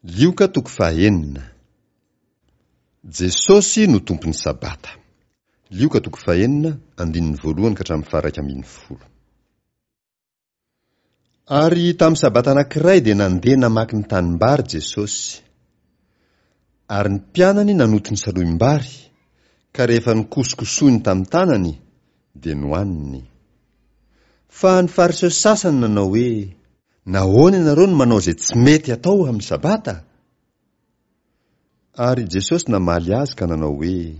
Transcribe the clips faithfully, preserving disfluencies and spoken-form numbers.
Lioka toko fahenina. Jesosy no Tompon'ny Sabata. Lioka toko fahenina, andininy voalohany ka hatramin'ny faha-iraika ambin'ny folo. Ary tamin'ny Sabata anankiray dia nandeha namaky ny tanimbary Jesosy. Ary ny mpianany nanoto ny salohim-bary, ka rehefa nokosokosohiny tamin'ny tanany, dia nohaniny. Fa ny Fariseo sasany nanao hoe, Nahoana ianareo no manao izay tsy mety atao amin'ny Sabata? Ary Jesosy namaly azy ka nanao hoe,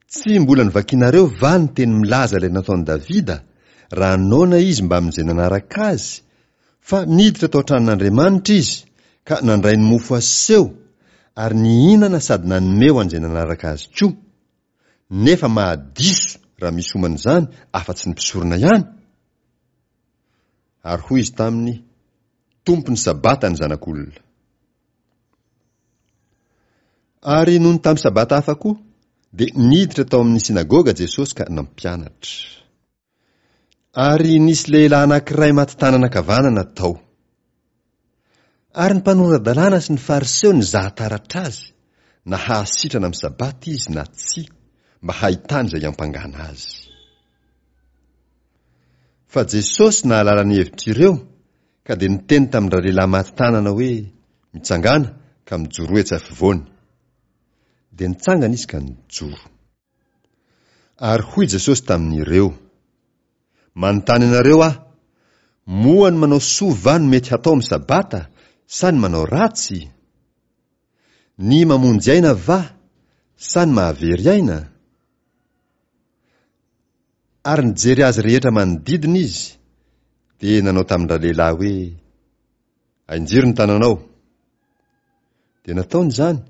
Tsy mbola novakinareo va ny teny milaza ilay nataon'i Davida, raha noana izy mbamin'izay nanaraka azy, fa niditra tao an-tranon'Andriamanitra izy, ka nandray ny mofo aseho, ary nihinana sady nanome ho an'izay nanaraka azy koa, nefa mahadiso raha misy homana izany afa-tsy ny mpisorona ihany? Ary hoy izy taminy, Tompon'ny Sabata ny Zanak'olona. Ary nony tamin'ny Sabata hafa koa, dia niditra tao amin'ny synagoga Jesosy ka nampianatra. Ary nisy lehilahy anankiray maty tanana ankavanana tao. Ary ny mpanora-dalàna sy ny Fariseo nizaha taratra azy, na hahasitrana amin'ny Sabata izy na tsia, mba hahitany izay hiampangana azy. Fa Jesosy nahalala ny hevitr'ireo, ka dia niteny tamin-dralehilahy maty tanana hoe, Mitsangàna ka mijoroa etsy afovoany. Dia nitsangana izy ka nijoro. Ary hoy Jesosy tamin'ireo, Manontany anareo aho, moa ny manao soa va no mety hatao amin'ny Sabata, sa ny manao ratsy? Ny mamonjy aina va, sa ny mahavery aina? Ary nijery azy rehetra manodidina izy, dia nanao tamin-dralehilahy hoe, Ainjiro ny tananao. Dia nataony izany,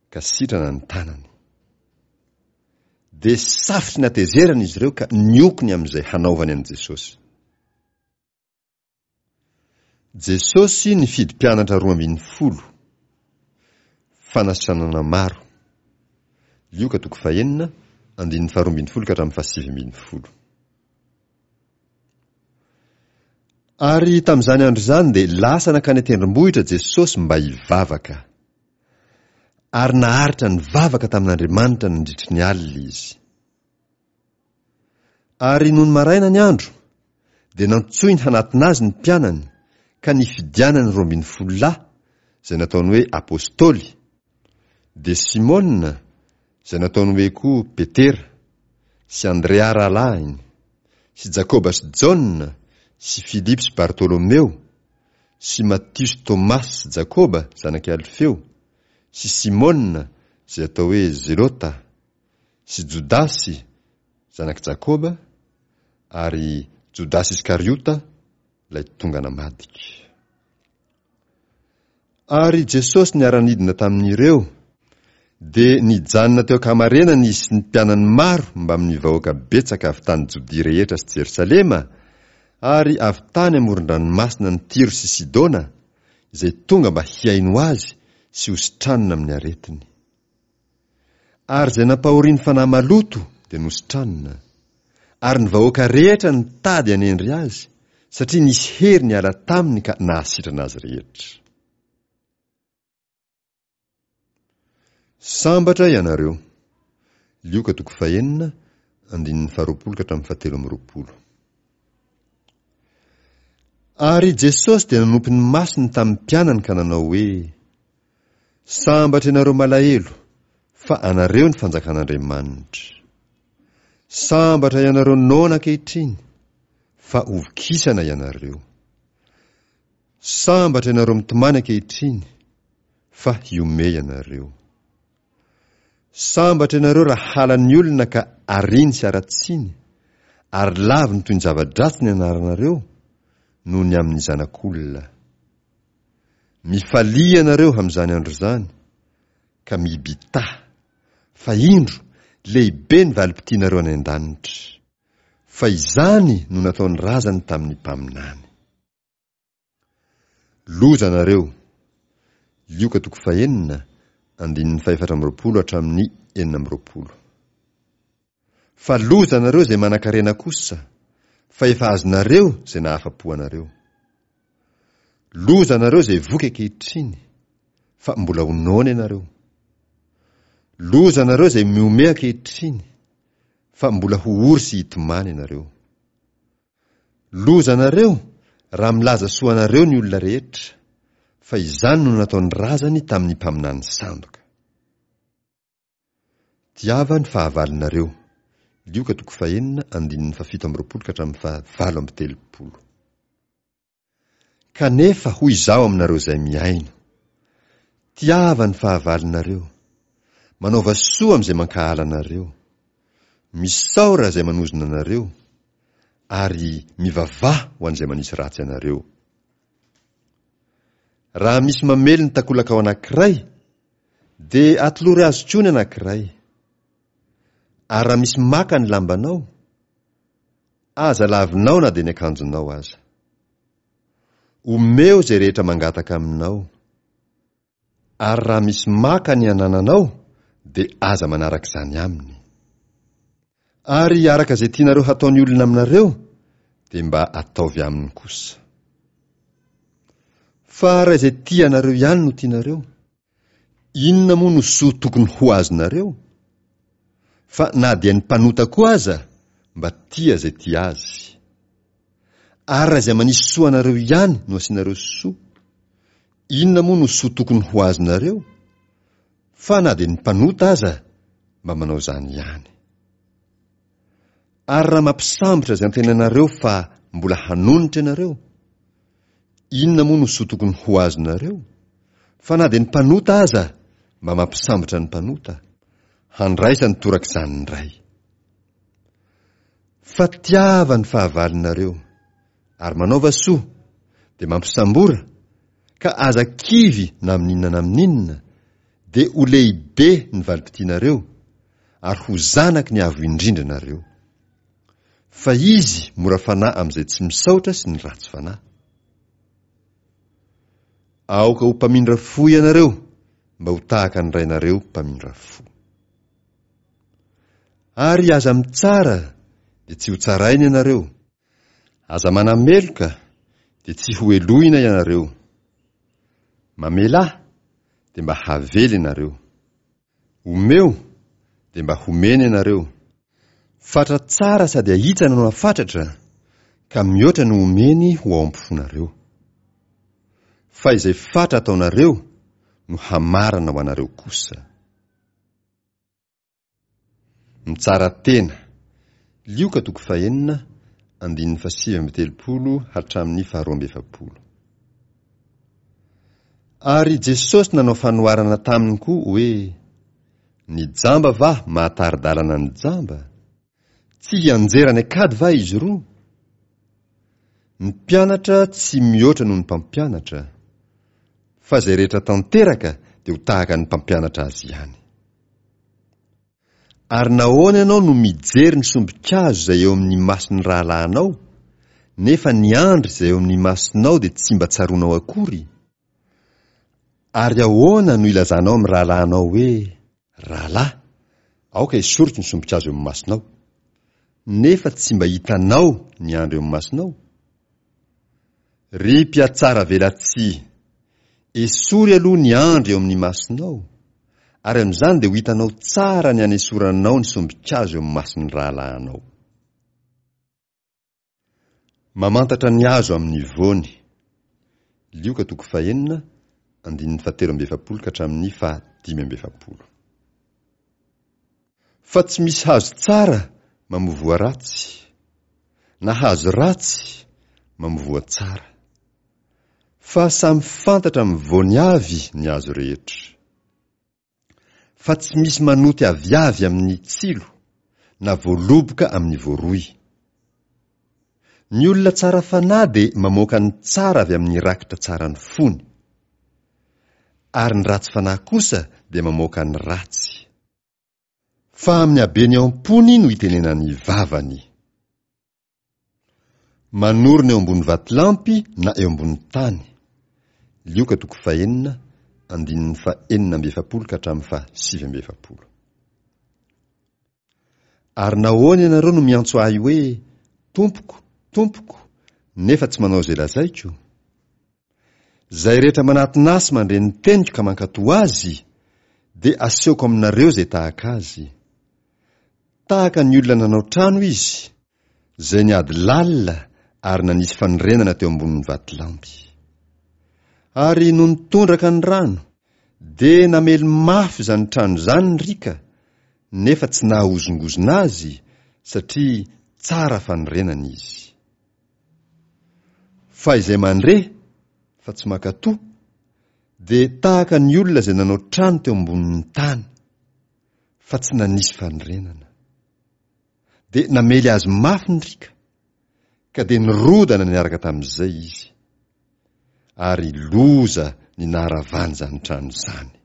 ka sitrana ny tanany. Dia safotry ny hatezerana izy ireo ka nioko ny amin'izay hanaovany an'i Jesosy. Jesosy nifidy mpianatra roa ambin'ny folo. Fanasitranana maro. Lioka toko fahenina, andininy faharoa ambin'ny folo ka hatramin'ny fahasivy ambin'ny folo. Ary tamin'izany andro izany dia lasa nankany an-tendrombohitra Jesosy mba hivavaka. Ary naharitra nivavaka tamin'Andriamanitra nandritry ny alina izy. Ary nony maraina ny andro, dia nantsoiny hanatona azy ny mpianany, ka nifidianany roa ambin'ny folo lahy, izay nataony hoe apostoly, dia Simona, izay nataony hoe koa Petera, sy Andrea rahalahiny, sy Jakoba sy Jaona, sy Filipo sy Bartolomeo, sy Matio sy Tomasy sy Jakoba zanak'i Alfeo, sy Simona, izay atao hoe Zelota, sy Jodasy zanak'i Jakoba, ary Jodasy Iskariota, ilay tonga namadika. Ary Jesosy niara-nidina tamin'ireo, dia nijanona teo an-kamarenana izy sy ny mpianany maro mbamin'ny vahoaka betsaka avy tany Jodia rehetra sy Jerosalema, ary avy tany amoron-dranomasina ny Tyro sy Sidona, izay tonga mba hihaino azy sy hositranina amin'ny aretiny. Ary izay nampahorian'ny fanahy maloto dia nositranina. Ary ny vahoaka rehetra nitady hanendry azy, satria nisy hery niala taminy ka nahasitrana azy rehetra. Sambatra ianareo. Lioka toko fahenina, andininy faharoapolo ka hatramin'ny fahatelo amby roapolo. Ary Jesosy dia nanompo ny masony tamin'ny mpianany ka nanao hoe, Sambatra ianareo malahelo, fa anareo ny fanjakan'Andriamanitra. Sambatra ianareo noana ankehitriny, fa hovokisana ianareo. Sambatra ianareo mitomany ankehitriny, fa hihomehy ianareo. Sambatra ianareo raha halan'ny olona ka ariany sy aratsiny, ary laviny toy ny zava-dratsy ny anaranareo, noho ny amin'ny Zanak'olona. Mifalia ianareo amin'izany andro izany, ka mibitaha, fa indro, lehibe ny valim-pitianareo any an-danitra. Fa izany no nataon'ny razany tamin'ny mpaminany. Loza anareo! Lioka toko fahenina, andininy fahefatra amby roapolo hatramin'ny enina amby roapolo. Fa loza anareo izay manan-karena kosa, fa efa azonareo izay nahafa-po anareo. Loza anareo izay voky ankehitriny, fa mbola ho noana ianareo. Loza anareo izay mihomehy ankehitriny, fa mbola ho ory sy hitomany ianareo. Loza anareo raha milaza soa anareo ny olona rehetra, fa izany no nataon'ny razany tamin'ny mpaminany sandoka. Tiava ny fahavalonareo. Lioka toko fahenina andininy fahafito amby roapolo ka hatramin'ny fahavalo amby telopolo. Kanefa hoy izaho aminareo izay mihaino, tiava ny fahavalonareo, manaova soa amin'izay mankahala anareo, misaora izay manozona anareo, ary mivavaha ho an'izay manisy ratsy anareo. Raha misy mamely ny takolakao anankiray, dia atolory azy koa ny anankiray. Ary raha misy maka ny lambanao, aza lavinao na dia ny akanjonao aza. Omeo izay rehetra mangataka aminao. Ary raha misy maka ny anananao, dia aza manaraka izany aminy. Ary araka izay tianareo hataon'ny olona aminareo, dia mba ataovy aminy kosa. Fa raha izay tia anareo ihany no tianareo, inona moa no soa tokony ho azonareo? Fa na dia ny mpanota koa aza mba tia izay tia azy. Ary raha izay manisy soa anareo ihany no asianareo soa, inona moa no soa tokony ho azonareo? Fa na dia ny mpanota aza mba manao izany ihany. Ary raha mampisambotra izay antenainareo fa mbola hanonitra ianareo, inona moa no soa tokony ho azonareo? Fa na dia ny mpanota aza mba mampisambotra ny mpanota, handraisany torak'izany indray. Fa tiava ny fahavalonareo, ary manaova soa, dia mampisambora, ka aza kivy na amin'inona na amin'inona, dia ho lehibe ny valim-pitianareo, ary ho zanaky ny Avo Indrindra nareo. Fa izy mora fanahy amin'izay tsy misaotra sy ny ratsy fanahy. Aoka ho mpamindra fo ianareo, mba ho tahaka ny rainareo mpamindra fo. Ary aza mitsara, dia tsy ho tsaraina ianareo. Aza manameloka, dia tsy ho helohina ianareo. Mamelà, dia mba havela ianareo. Omeo, dia mba homena ianareo. Fatra tsara sady ahitsana no afatratra, ka mihoatra no omeny ho ao am-ponareo. Fa izay fatra ataonareo no hamarana ho anareo kosa. Mitsara tena. Lioka toko fahenina, andininy fahasivy amby telopolo hatramin'ny faharoa amby efapolo. Ary Jesosy nanao fanoharana taminy koa hoe, ny jamba va mahatari-dalana ny jamba? Tsy hianjera any an-kady va izy roa? Ny mpianatra tsy mihoatra noho ny mpampianatra, fa izay rehetra tanteraka dia ho tahaka ny mpampianatra azy ihany. Ary nahoana ianao no mijery ny sombin-kazo izay eo amin'ny mason'ny rahalahinao, nefa ny andry izay eo amin'ny masonao dia tsy mba tsaroanao akory? Ary ahoana no ilazanao amin'ny rahalahinao hoe, rahalahy, aoka esoriko ny sombin-kazo eo amin'ny masonao, nefa tsy mba hitanao ny andry eo amin'ny masonao? Ry mpiatsara velatsihy, esory aloha ny andry eo amin'ny masonao, ary amin'izany dia ho hitanao tsara ny hanesoranao ny sombin-kazo eo amin'ny mason'ny rahalahinao. Mamantatra ny hazo amin'ny voany. Lioka toko fahenina, andininy fahatelo amby efapolo ka hatramin'ny fahadimy amby efapolo. Fa tsy misy hazo tsara mamoa voa ratsy, na hazo ratsy mamoa voa tsara. Fa samy fantatra amin'ny voany avy ny hazo rehetra. Fa tsy misy manoty aviavy amin'ny tsilo, na voaloboka amin'ny voaroy. Ny olona tsara fanahy dia mamoaka ny tsara avy amin'ny rakitra tsara ny fony. Ary ny ratsy fanahy kosa dia mamoaka ny ratsy. Fa amin'ny habeny ao am-pony no itenenan'ny vavany. Manorina eo ambony vatolampy na eo ambony tany. Lioka toko fahenina, andininy fahenina amby efapolo ka hatramin'ny fahasivy amby efapolo. Ary nahoana ianareo no miantso ahy hoe, Tompoko, Tompoko, nefa tsy manao izay lazaiko? Izay rehetra manatona ahy sy mandre ny teniko ka mankatò azy, dia asehoko aminareo izay tahaka azy. Tahaka ny olona nanao trano izy, izay niady lalina ary nanisy fanorenana teo ambonin'ny vatolampy. Ary nony tondraka ny rano, dia namely mafy izany trano izany ny riaka, nefa tsy nahahozongozona azy, satria tsara fanorenana izy. Fa izay mandre, fa tsy mankatò, dia tahaka ny olona izay nanao trano teo ambonin'ny tany, fa tsy nanisy fanorenana. Dia namely azy mafy ny riaka, ka dia nirodana niaraka tamin'izay izy. Ary loza ny naharavany izany trano izany.